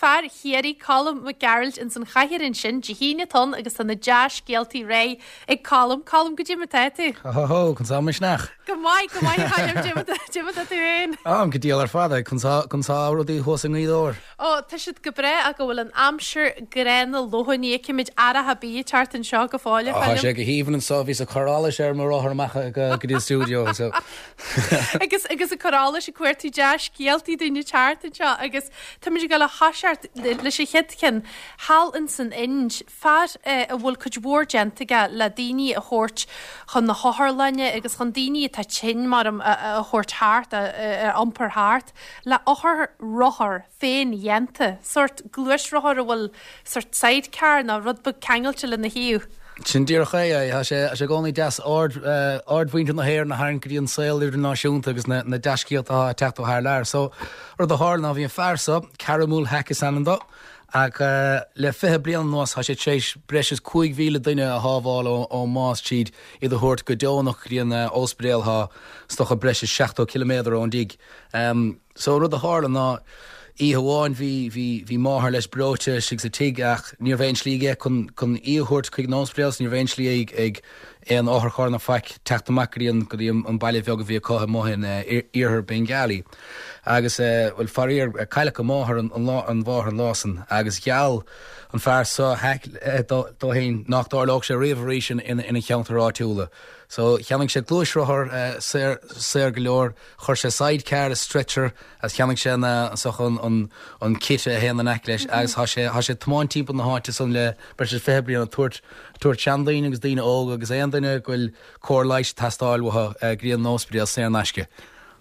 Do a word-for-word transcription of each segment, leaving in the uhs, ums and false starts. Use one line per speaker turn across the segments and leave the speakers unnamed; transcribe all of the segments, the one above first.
fear Chiarraí Colm Mac Gearailt ins an chathaoir ansin Dé hAoine atá ann agus tá na dea-scéaltaí réidh ag Colm. Colm goidé mar atá tú.
Ho ho, conas tá Misneach.
Go maith go maith goidé mar atá tú féin.
Am go diail ar fad conas tá rudaí thuas i nGaoth Dobhair.
Ó tá siad go breá ach go bhfuil an aimsir gránna lotha ní fheicimid earrach ar bith ag teacht anseo go fóill
Tá sé go haoibhinn anseo bhíos ag cur allais ar mo rothar amach go dtí an stiúideo so.
agus agus ag cur allais ag cuartú dea-scéaltaí dúinn ag teacht anseo agus Táimid ag dul a thoiseacht leis an chéad cheann thall ins an Ind, fear eh, a bhfuil cuid mhór déanta aige le daoine a thabhairt chun na hotharlainne agus chun daoine atá tinn mar a, a thabhairt thart a, a, a iompar thart le othar rothar féindhéanta, sórt gluaisrothar a bhfuil sórt sidecar nó rud beag ceangailte lena thaobh.
Sin díreach é tá sé sé i gcónaí deas aird aird mhuintir na hÉireann a tharraingt go dtí an saol idirnáisiúnta agus na, na dea-scéalta atá teacht ó thar lear. So rud a tharla ná bhí an fear seo Karimul Haque is ainm dó ach uh, le fiche bliain anuas tá sé tréis breis is cúig mhíle duine a shábháil ó bhás tríd iad a thabhairt go deonach go dtí an uh, ospidéal atá is dócha breis is seachtó kiloméadar ón dtigh. Um, so rud a tharla ná oíche amháin bhí bhí bhí máthair leis breoite istigh sa tigh ach ní raibh aon slí aige chun chun í a thabhairt chuig an ospidéal, ní raibh aon slí ag ag aon otharcharr ná faic teacht amach go dtí an go dtí an baile bheag a bhí acu amuigh in iarthar Bengali. Agus bhuel faraor cailleadh an máthair an lá an mháthair an lá san agus gheall an fear seo dó féin nach dtarlódh sé riamh arís ina ina cheantar áitiúla. So cheannaigh sé gluaisrothar uh, saor saor go leor, chuir sé sidecar a stretcher as cheannaigh sé na soch an an an kit a théann in aice leis agus tá sé tá sé tiomáint timpeall na háite san le breis is fiche bliain tabhairt tabhairt seandaoine agus daoine óga agus aon duine go bhfuil cóir leighis ag teastáil uathu go dtí an ospidéal saor in aisce.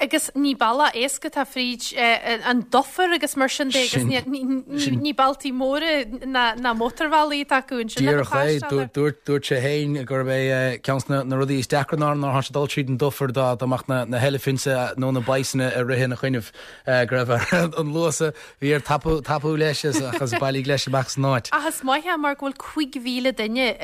Agus ní bealach éasca atá fríd an dufair agus mar sin de agus ní bealtaí móra na na mótarbhealaí atá acu ansin le
Díreach é dúirt dúirt sé féin gurb é ceann de na rudaí is deacra ná ná tá sé dul tríd an dufar dá dá mbeadh na na heilifint nó na bison ag rith ina choinnibh go raibh an luas a bhí air tapú tapú leis agus bailigh leis amach san áit.
Ach is maith mar go bhfuil cúig mhíle duine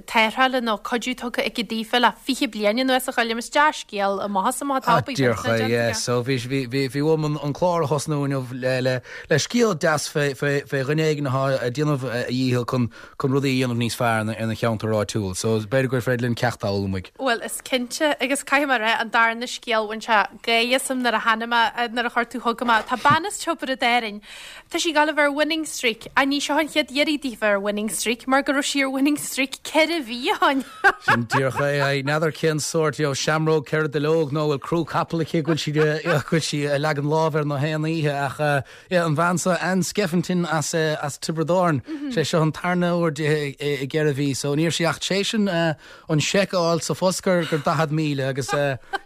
tarrtháilte nó cuidiú tugtha aige daofa le fiche bliain anuas a Choilm is dea-scéal amach is amach
tá yeah, so bhí bhí bhí bhí uaim an clár a thosnú inniu le le le scéal deas fé fé fé dhuine éigin atá ag déanamh a dhícheall chun chun rudaí a dhéanamh níos fearr ina cheantar áitiúil. So b'fhéidir gur féidir linn ceacht a fhoghlaim uaidh.
Well is cinnte agus caithfidh mé rá an darna scéal bhain sé gáire asam nuair a chonaic mé nuair a chuir tú chugam é. Tá bean as Tiobraid Árann. Tá sí ag gabháil a bheith ar winning streak a ní seo an chéad iarraidh di bheith ar winning streak mar go raibh sí ar winning streak ceithre mhí ó shin.
Sin díreach é n'fheadar cén sórt you know, seamróg ceithre duilleog nó bhfuil crú capall aici go bhfuil sí go bhfuil sí ag leagan lámh ar na haon oíche ach an bhean seo Ann Skeffington as as Tiobraid Árann sé seo an tarna huair di i gceithre mhí, so níor sí ach sé sin an seic fháil sa phost gur gur daichead míle agus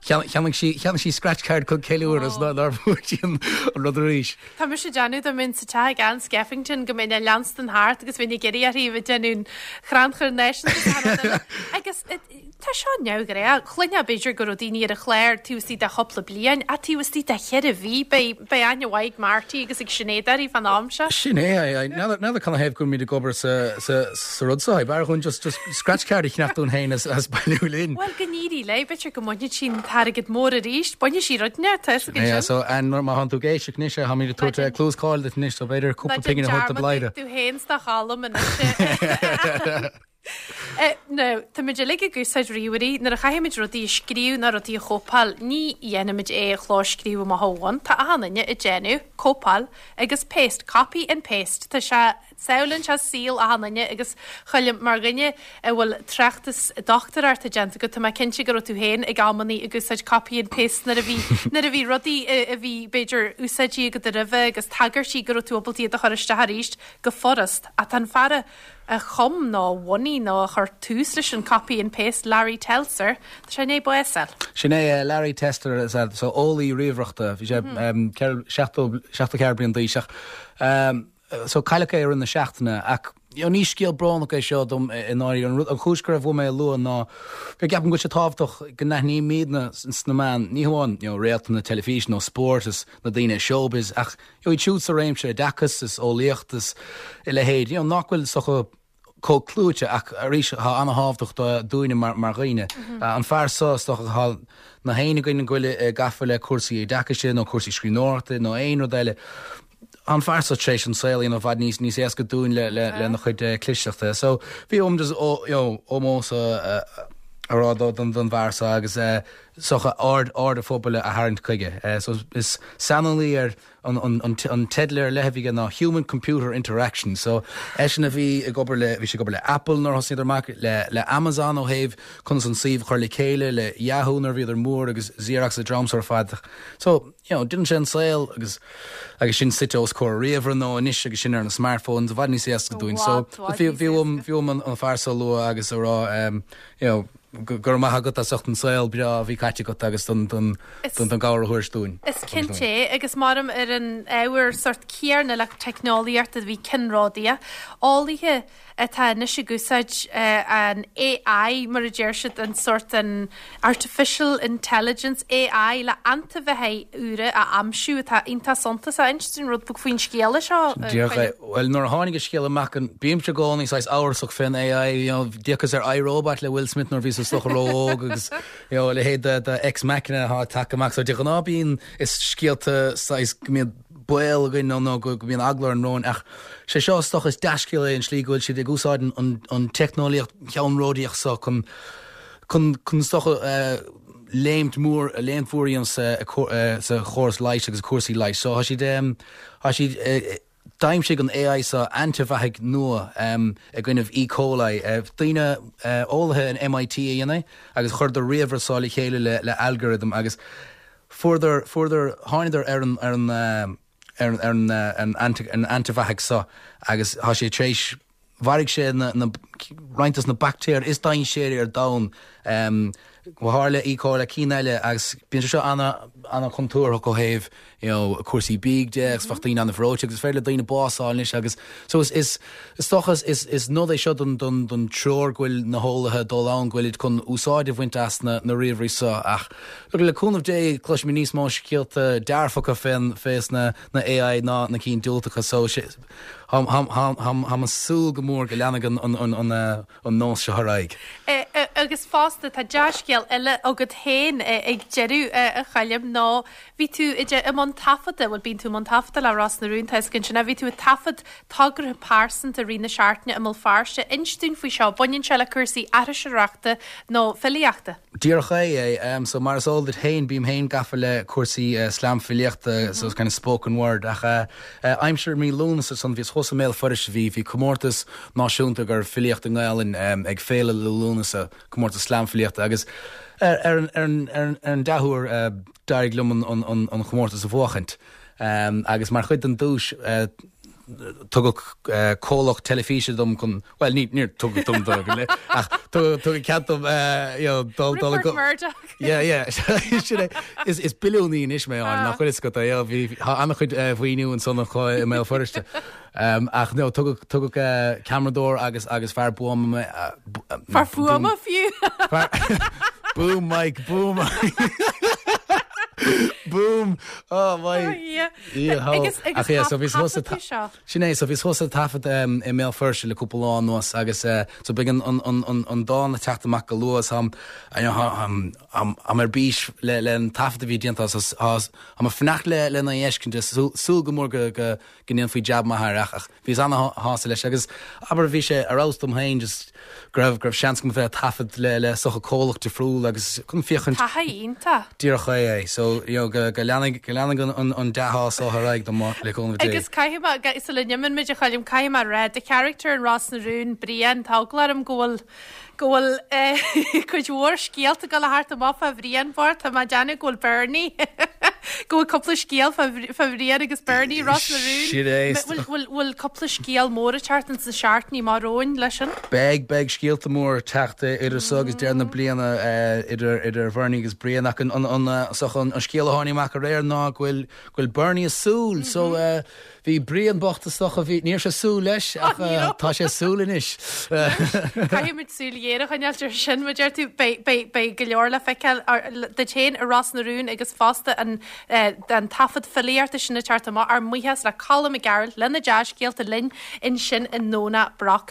cheannaigh sí cheannaigh sí scratch card chun ceiliúradh is nár bhuaigh sí an rud arís.
Tá mise ag déanamh dá mbeinn sa teach ag Ann Skeffington go mbeinn ag leanstan thart agus bheinn ag iarraidh uirthi bheith ag déanamh crannchur náisiúnta agus tá seo neamhghnách. Chluinfeá b'fhéidir go raibh daoine ar an chlár taobh istigh de chúpla bliain, ach taobh istigh de cheithre mhí beidh beidh aithne mhaith ag Marty agus ag Sinéad uirthi fan am seo.
Sin é n'fheadar canathaobh go bhfuilimid ag obair sa sa sa rud seo, b'fhearr dhúinn just just scratch card a cheannach dúinn féin as as bailiú linn.
Well go n-éirí léi, b'fhéidir go mbainfidh sí an t-airgead mór arís, bainfidh sí rud inteacht tá
sin é so an má thánn tú ag éisteacht anois táimid ag tabhairt cluas chaill duit anois so b'fhéidir cúpla pingin a thabhairt do Bladhaire.
Tú féin sta chalm anois. Now, táimid uilig ag úsáid ríomhairí nuair a chaithfimid rudaí a scríobh nó rudaí a chóipeáil, ní dhéanaimid é a chlóscríobh amach ó bhun, tá achan duine ag déanamh cóipeáil agus paste, copy and paste. Tá sé samhlaíonn sé saol achan duine agus Choilm mar dhuine a bhfuil tráchtas dochtúireachta déanta agat, tá mé cinnte go raibh tú féin ag amannaí ag úsáid copy and paste nuair a bhí nuair a bhí rudaí a bhí b'fhéidir úsáidte agat roimhe agus tagairtí go raibh tú ábalta iad a chur isteach arís go furast. Ach tá an fear a chum nó a bhunaigh nó a chuir tús leis an copy and paste Larry Tesler, tá sé né básaithe.
Sin é Larry Tesler so eolaí ríomhaireachta, bhí sé seachtó ceathair bliain d'aois ach so cailleadh é i rith na seachtaine ach ní scéal brónach é seo dom i ndáiríre an chúis go raibh mé lua ná go gceapaim go bhfuil sé tábhachtach go n-aithnímidne sna meáin ní hamháin réalta na teilifíse nó spóirt is na daoine showbiz ach iad siúd sa réimse oideachas is eolaíocht is a leithéid nach bhfuil socha chomh clúite ach arís tá an-tábhacht dúinne mar mar dhaoine. An fear seo tá na haon againn go bhfuil gafa le cúrsaí oideachais nó cúrsaí scríbhneoireachta nó aon rud eile. an fear seo tar éis an saol a dhéanamh i bhfad níos níos éasca dúinn le le lena chuid clisteachta. So bhí uaim just ó you know ómós a a rá do don don bhfear seo agus is dócha aird aird an phobail a tharraingt chuige. So is saineolaí ar an an an an teideal ar leith a bhí aige ná Human Computer Interaction. So eisean a bhí ag obair le bhí sé ag obair le Apple nuair a thosaíodar amach le le Amazon ó thaobh conas an suíomh a chur le chéile le Yahoo nuair a bhíodar mór agus Xerox a dream ar fad. So you know, déanann sé an saol agus agus sinn suite os comhair ríomhaire nó anois agus sinn ar na smartphones i bhfad níos éasca dúinn. So bhí bhí uaim bhí uaim an an fear seo a lua agus a rá um, you know, go raibh maith agat as ucht an saol breá a bhí caite agat agus don don don don gcabhair a thabhairt dúinn.
Is cinnte agus maram ar an ábhar sort céanna le teicneolaíocht a bhí ceannródaíoch. Eolaithe atá anois ag úsáid an AI mar a deir siad an sort an Artificial Intelligence AI le antaibheathaigh úra a aimsiú atá iontach suntasach inis dúinn rud beag faoin scéala seo.
Díreach é. Well nuair a tháinig an scéal amach an bímse i gcónaí saghas amhrasach fén AI, you know, d'fhéachas ar iRobot le Will Smith nuair a bhíos is dócha ró-óg agus you know, a leithéid de, de Ex Machina atá tagtha amach so de ghnáth bíonn is scéalta saghas go mbíonn baol againn nó nó go mbíonn eagla orainn rompu ach sé seo is dócha is dea-scéal é an slí go bhfuil siad ag úsáid an, an teicneolaíocht cheannródaíoch seo chun chun chun is dócha uh, léimt mór léimt mhór sa sa chóras leighis agus cúrsaí leighis. So tá siad um, tá siad uh, D'aimsigh an AI seo antaibheathaigh nua um, i gcoinnibh E. coli. Uh, daoine uh, eolaithe in MIT a dhein é agus chuireadar ríomhaire seo le chéile le, le algorithm agus fuaireadar fuaireadar thánadar ar an ar an uh, ar an ar an, uh, an, anti, an antaibheathach seo agus tá sé tar éis mharaigh sé na, na roinnt des na baictéir is dainséaraí ar domhan um, go háirithe E. coli cinn eile agus bíonn sé seo ana ana chontúirteach ó thaobh you know, cúrsaí bídh de agus bheadh daoine an-bhreoite agus féidir le daoine bás a fháil anois agus so is is is dócha is is nod é seo don don don treoir go bhfuil na heolaithe dul ann go bhfuil chun úsáid a bhaint as na na ríomhairí seo ach look, le cúnamh Dé cloisfimid níos mó scéalta dearfacha fén fés na na AI ná na cinn diúltacha so sé Táim ag súil go mór go leanfaidh an an an an uh, an nós seo ar aghaidh.
E, e, agus fosta tá dea-scéal eile agat féin e, ag deireadh a Choilm ná bhí tú i mbun taifeadta bhfuil bíonn tú i mbun taifeadta le Ros na Rún tá sin bhí tú ag taifead tagartha pearsanta i rith na seachtaine i mBéal Feirste inis dúinn faoi seo baineann sé le cúrsaí aithriseoireachta nó filíochta.
Díreach é é um, so mar is eol duit féin bím féin gafa le cúrsaí uh, slam filíochta so kind of spoken word ach uh, uh, aimsir mí Lúnasa san bhíos thuas i mBéal Feirste bhí bhí comórtas náisiúnta gur filíocht i nGaelainn um, ag Féile Lúnasa comórtas slam filíochta agus ar ar ar ar ar an dea-uair uh, d'éirigh liom an, an, an, an chomórtas a bhuachaint. Um, agus mar chuid den duais uh, tugadh uh, comhlacht teilifíse dom chun well ní níor tugadh dom do le ach tugadh cead dom uh, you know, dul dul
Rupert Murdoch.
Yeah, yeah. Sin é. Is is billiúnaí anois mé an nach bhfuil go bhí an-chuid mhaoiniú ansan acu i mBéal Feirste. Um, ach no tugadh tugadh uh, ceamaradóir agus agus fear buama uh,
Fear fuaime fiú.
boom mic boom boom oh my
Yeah.
Yeah,
Agus agus
Ach yeah, so bhí
thaifead tú seo.
Sin é, so bhíos thuas ag taifead um, i mBéal Feirste le cúpla lá anuas agus uh, so beidh an, an, an, an, an dán ag teacht amach go luath am am ar bís le le an taifead a bhí déanta so am ag fanacht le lena fheiscint súil go mór go go go ndéanfaí jab maith air ach ach bhíos an-shásta leis agus abair bhí sé ar fheabhas dom féin just go raibh go raibh seans agam bheith taifead le le socha comhlacht difriúil agus chun féachaint
Taithí iontach.
díreach é é so you know, go go leanfaidh go leanfaidh an, an, an dea-ádh seo ar aghaidh dom le cúnamh Dé.
Agus caithfidh mé sula n-imíonn muid a Choilm caithfidh mé rá the character in Ros na Rún Brian tá eagla orm go bhfuil go bhfuil eh, cuid mhór scéalta go le thart amach fá Bhrian bhar tá má déanamh go bhfuil Bernie go bhfuil cúpla scéal fá fá Bhrian agus Bernie Ros na Rún.
Sin é.
Bhfuil bhfuil cúpla scéal mór ag teacht sa seachtain mar róin leis sin?
Beidh beidh scéalta mór ag teacht idir seo agus deireadh na bliana eh, idir idir Bernie agus Brian ach an an an eh, so an an scéal a tháinig amach aréir ná go bhfuil go bhfuil Bernie ag súil so uh, bhí Brian bocht socha bhí níor sé súil leis ach
ní
uh,
raibh.
tá sé súil anois.
Caithfimid súil ghéar a choinneáil air sin mar deir tú beidh go leor le feiceáil de féin i Ros na Rún agus fosta an eh, an taifead filíochta sin ag teacht amach ár mbuíochas le Colm Mac Gearailt lena dea-scéalta linn ansin i nDomhnach Broc.